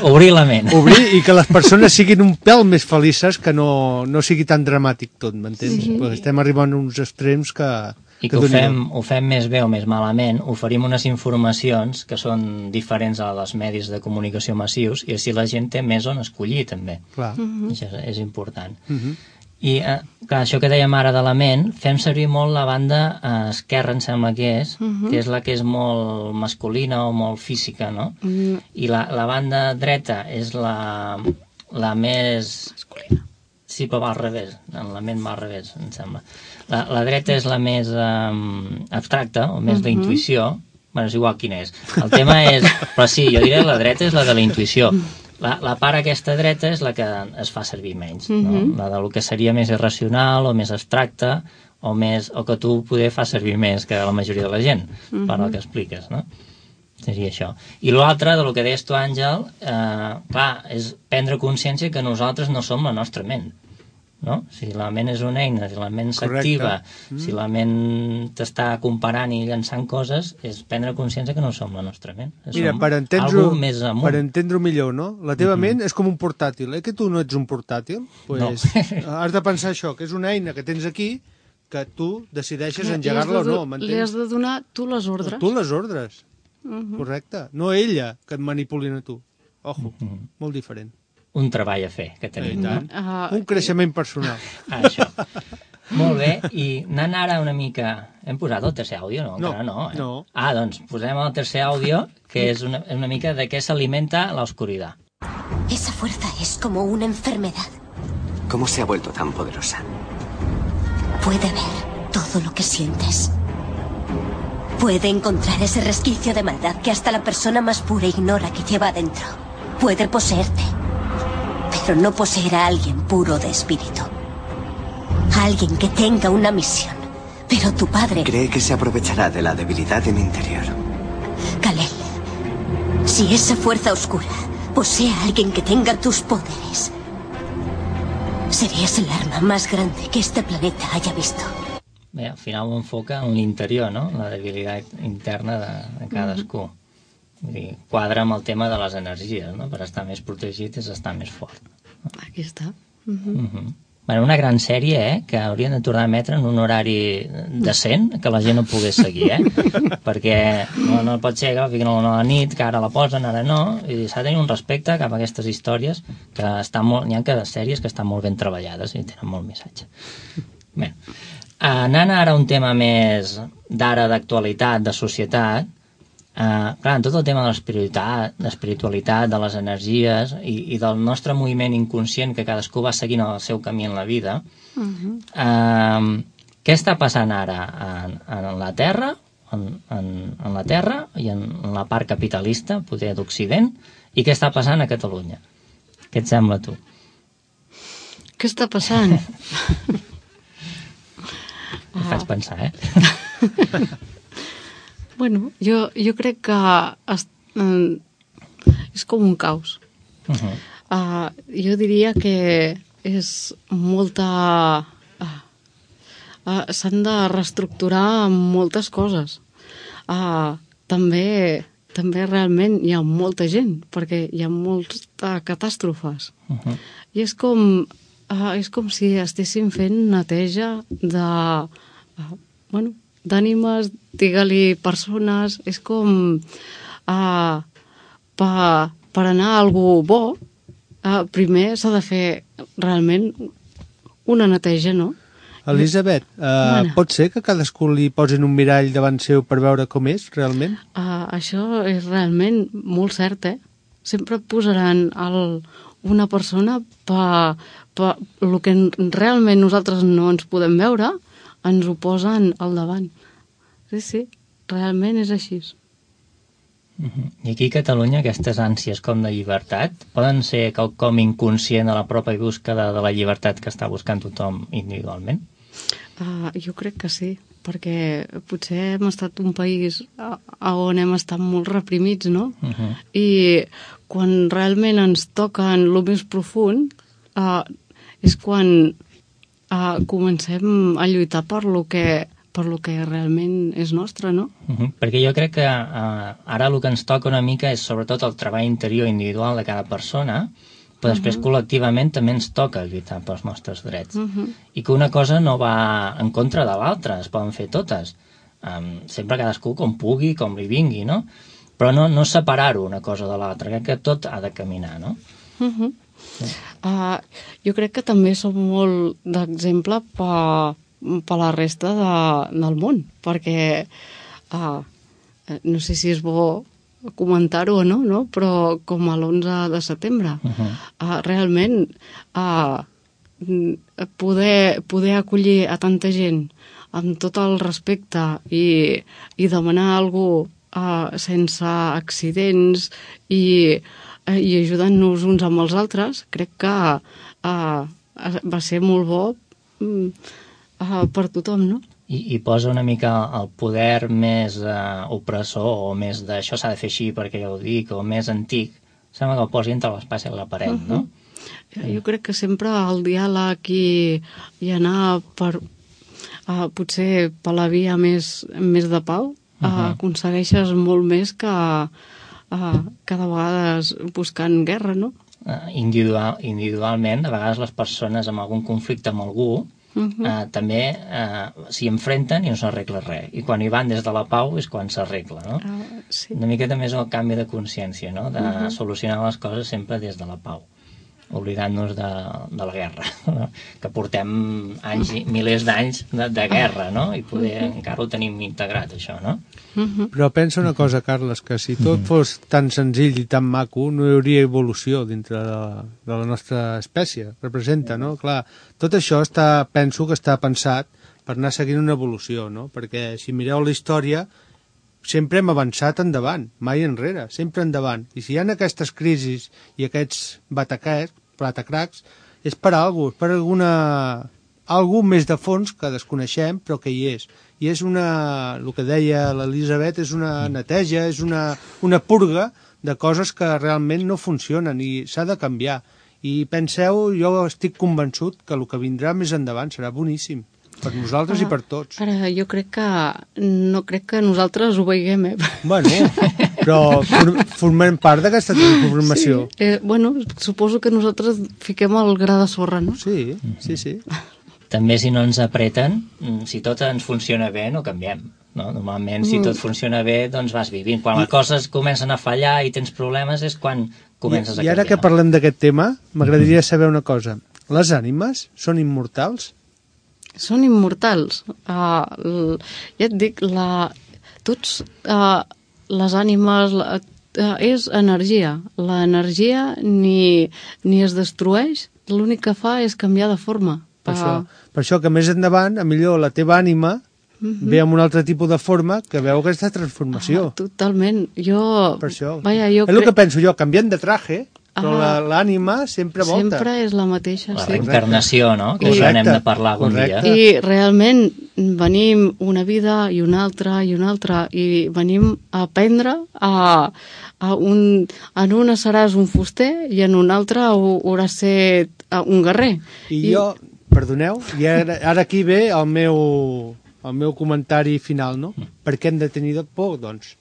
obrir la ment. Obrir i que les persones siguin un pèl més felices, que no sigui tan dramàtic tot, m'entens? Sí. Perquè estem arribant a uns extrems que... I que ho fem més bé o més malament, oferim unes informacions que són diferents a les medis de comunicació massius i així la gent té més on escollir també. Clar. Això és important. I clar, això que dèiem ara de la ment, fem servir molt la banda esquerra, em sembla que és la que és molt masculina o molt física, no? I la banda dreta és la més... masculina. Sí, però va al revés, en la ment va al revés, em sembla. La dreta és la més abstracta, o més d'intuïció. Bueno, és igual quina és. El tema és... Però sí, jo diré la dreta és la de la intuïció. La part aquesta dreta és la que es fa servir menys, no? La del que seria més irracional o més abstracta o que tu poder fa servir més que la majoria de la gent, per el que expliques, no? Seria això. I l'altre, del que deies tu, Àngel, clar, és prendre consciència que nosaltres no som la nostra ment, no? Si la ment és una eina, si la ment s'activa, si la ment t'està comparant i llançant coses, és prendre consciència que no som la nostra ment. Mira, per entendre-ho millor, no? La teva ment és com un portàtil, que tu no ets un portàtil? Pues has de pensar això, que és una eina que tens aquí, que tu decideixes engegar-la o no, m'entens? Li has de donar tu les ordres. Tu les ordres. Correcte. No ella que et manipulin a tu. Ojo, molt diferent. Un treball a fer que tenim. Un creixement personal. Això. Molt bé, i anant ara una mica... Hem posat el tercer àudio, no? No. Doncs posem el tercer àudio, que és una mica de què s'alimenta la oscuridad. Esa fuerza es como una enfermedad. ¿Cómo se ha vuelto tan poderosa? Puede ver todo lo que sientes. Puede encontrar ese resquicio de maldad que hasta la persona más pura ignora que lleva adentro. Puede poseerte, pero no poseer a alguien puro de espíritu. A alguien que tenga una misión. Pero tu padre... Cree que se aprovechará de la debilidad de mi interior. Kal-El, si esa fuerza oscura posee a alguien que tenga tus poderes, serías el arma más grande que este planeta haya visto. Bé, al final ho enfoca en l'interior, no? La debilitat interna de cadascú. Vull dir, quadra amb el tema de les energies, no? Per estar més protegit és estar més fort. Aquí està. Bueno, una gran sèrie, que haurien de tornar a emetre en un horari decent, que la gent no pogués seguir, perquè no pot ser que fiquen a la nit, que ara la posen, ara no, i s'ha de tenir un respecte cap a aquestes històries, que n'hi ha sèries que estan molt ben treballades i tenen molt missatge. Bé, anant ara a un tema més d'ara, d'actualitat, de societat, clar, en tot el tema de l'espiritualitat, de les energies i del nostre moviment inconscient que cadascú va seguint el seu camí en la vida, què està passant ara en la Terra, en la Terra i en la part capitalista, poder d'Occident, i què està passant a Catalunya? Què et sembla, tu? Què està passant? Em faig pensar, Bueno, jo crec que és com un caos. Jo diria que és molta... s'han de reestructurar moltes coses. També realment hi ha molta gent, perquè hi ha moltes catàstrofes. I és com si estéssim fent neteja d'ànimes, digue-li persones, és com per anar a algú bo, primer s'ha de fer realment una neteja, no? Elisabet, pot ser que cadascú li posin un mirall davant seu per veure com és, realment? Això és realment molt cert, Sempre posaran una persona per el que realment nosaltres no ens podem veure, ens ho posen al davant. Sí, realment és així. I aquí a Catalunya aquestes ànsies com de llibertat poden ser quelcom inconscient a la pròpia búsqueda de la llibertat que està buscant tothom individualment? Jo crec que sí, perquè potser hem estat un país on hem estat molt reprimits, no? I quan realment ens toquen el més profund és quan comencem a lluitar per lo que realment és nostre, no? Perquè jo crec que ara el que ens toca una mica és sobretot el treball interior individual de cada persona, però després col·lectivament també ens toca lluitar pels nostres drets. I que una cosa no va en contra de l'altra, es poden fer totes. Sempre cadascú com pugui, com li vingui, no? Però no separar-ho una cosa de l'altra, crec que tot ha de caminar, no? Jo crec que també som molt d'exemple per la resta del món, perquè no sé si és bo comentar-ho o no, però com a l'11 de setembre, realment poder acollir a tanta gent amb tot el respecte i demanar alguna cosa sense accidents i ajudant-nos uns amb els altres, crec que va ser molt bo per tothom, no? I posa una mica el poder més opressor o més d'això s'ha de fer així perquè ja ho dic, o més antic, sembla que el posi entre l'espasa i la paret, no? Jo crec que sempre el diàleg i anar potser per la via més de pau aconsegueixes molt més que cada vegades buscant guerra, no? Individualment, a vegades les persones amb algun conflicte amb algú també s'hi enfrenten i no s'arregla res. I quan hi van des de la pau és quan s'arregla, no? Una mica també és el canvi de consciència, no? De solucionar les coses sempre des de la pau, oblidant-nos de la guerra, no? Que portem milers d'anys de guerra, no? I poder encara ho tenim integrat, això, no? Però pensa una cosa, Carles, que si tot fos tan senzill i tan maco, no hi hauria evolució dintre de la nostra espècie. Representa, no? Clar, tot això penso que està pensat per anar seguint una evolució, no? Perquè si mireu la història, sempre hem avançat endavant, mai enrere, sempre endavant. I si hi ha aquestes crisis i aquests batacracs, és per alguna cosa, per algú més de fons que desconeixem, però que hi és. I és el que deia l'Elisabet, és una neteja, és una purga de coses que realment no funcionen i s'ha de canviar. I penseu, jo estic convençut que el que vindrà més endavant serà boníssim, per nosaltres i per tots. Ara, jo no crec que nosaltres ho veiem, Bueno, però formem part d'aquesta transformació. Sí. Suposo que nosaltres fiquem el gra de sorra, no? Sí. També si no ens apreten, si tot ens funciona bé, no canviem. No? Normalment, si tot funciona bé, doncs vas vivint. Quan les coses comencen a fallar i tens problemes és quan comences a canviar. I ara que parlem d'aquest tema, m'agradaria saber una cosa. Les ànimes són immortals? Són immortals. Ja et dic, les ànimes és energia. L'energia ni es destrueix, l'únic que fa és canviar de forma. Per això que més endavant, millor la teva ànima ve amb un altre tipus de forma que veu aquesta transformació. Totalment. Per això. És el que penso jo, canviant de traje, però l'ànima sempre volta. Sempre és la mateixa, La sí. reencarnació, no? Que us n'hem de parlar algun dia. I realment venim una vida i una altra, i venim a aprendre en una seràs un fuster i en una altra hauràs ser un guerrer. I jo, perdoneu, i ara aquí ve el meu comentari final, no? Per què hem de tenir por, doncs?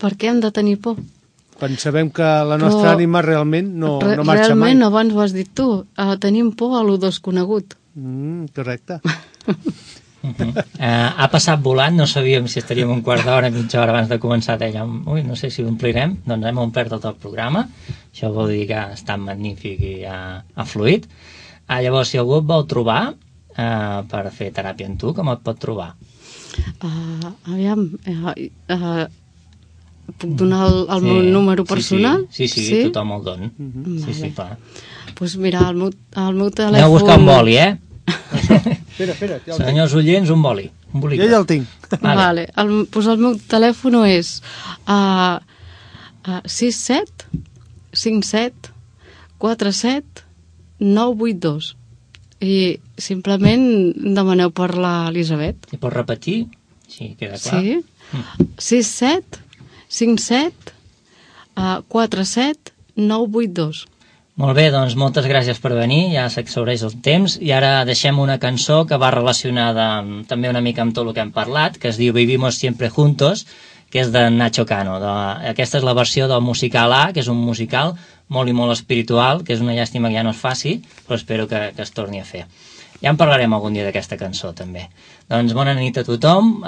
Per què hem de tenir por? Quan sabem que la nostra ànima realment no marxa mai. Realment, abans ho has dit tu, tenim por a lo desconegut. Correcte. Ha passat volant, no sabíem si estaríem un quart d'hora, mitja hora abans de començar, dèiem, no sé si ho omplirem, doncs hem omplert tot el programa, això vol dir que ha estat magnífic i ha fluït. Llavors, si algú et vol trobar per fer teràpia amb tu, com et pot trobar? Puc donar el meu número personal? Sí, tothom el dona. Sí, clar. Doncs mira, el meu telèfon... Aneu a buscar un boli, Espera. Senyors oients, un boli. Jo ja el tinc. Vale. Doncs el meu telèfon és 67 57 47 982 i simplement demaneu per l'Elisabet. I pots repetir? Sí, queda clar. Sí. 67 57 47 982. Molt bé, doncs moltes gràcies per venir, ja s'exhaureix el temps, i ara deixem una cançó que va relacionada també una mica amb tot el que hem parlat, que es diu Vivimos Siempre Juntos, que és de Nacho Cano. Aquesta és la versió del musical A, que és un musical molt i molt espiritual, que és una llàstima que ja no es faci, però espero que es torni a fer. Ja en parlarem algun dia d'aquesta cançó, també. Doncs bona nit a tothom,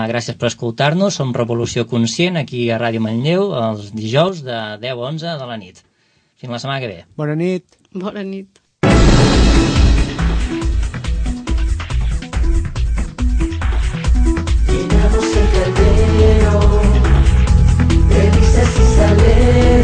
gràcies per escoltar-nos, som Revolució Conscient, aquí a Ràdio Manlleu, els dijous de 10 a 11 de la nit. Fins la setmana que ve. Bona nit. Bona nit. Llenamos el caldero de risas y salero.